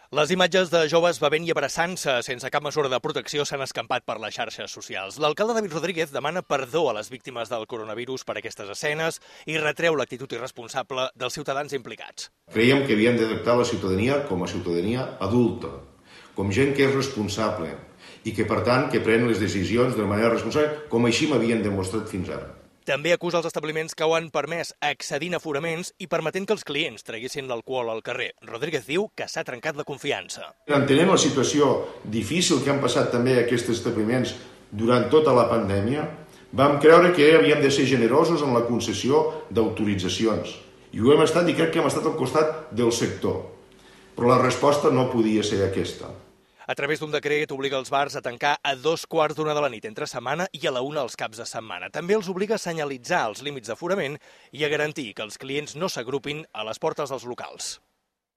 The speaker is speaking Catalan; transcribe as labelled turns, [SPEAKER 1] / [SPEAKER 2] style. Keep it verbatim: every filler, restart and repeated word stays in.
[SPEAKER 1] Les imatges de joves bevent i abraçant-se sense cap mesura de protecció s'han escampat per les xarxes socials. L'alcalde David Rodríguez demana perdó a les víctimes del coronavirus per aquestes escenes i retreu l'actitud irresponsable dels ciutadans implicats.
[SPEAKER 2] Creiem que havíem de tractar la ciutadania com a ciutadania adulta, com gent que és responsable i que, per tant, que pren les decisions de manera responsable, com així m'havien demostrat fins ara.
[SPEAKER 1] També acusa els establiments que ho han permès accedint a aforaments i permetent que els clients traguessin l'alcohol al carrer. Rodríguez diu que s'ha trencat la confiança.
[SPEAKER 2] Entenent la situació difícil que han passat també aquests establiments durant tota la pandèmia, vam creure que havíem de ser generosos en la concessió d'autoritzacions. I ho hem estat i crec que hem estat al costat del sector. Però la resposta no podia ser aquesta.
[SPEAKER 1] A través d'un decret obliga els bars a tancar a dos quarts d'una de la nit entre setmana i a la una els caps de setmana. També els obliga a senyalitzar els límits d'aforament i a garantir que els clients no s'agrupin a les portes dels locals.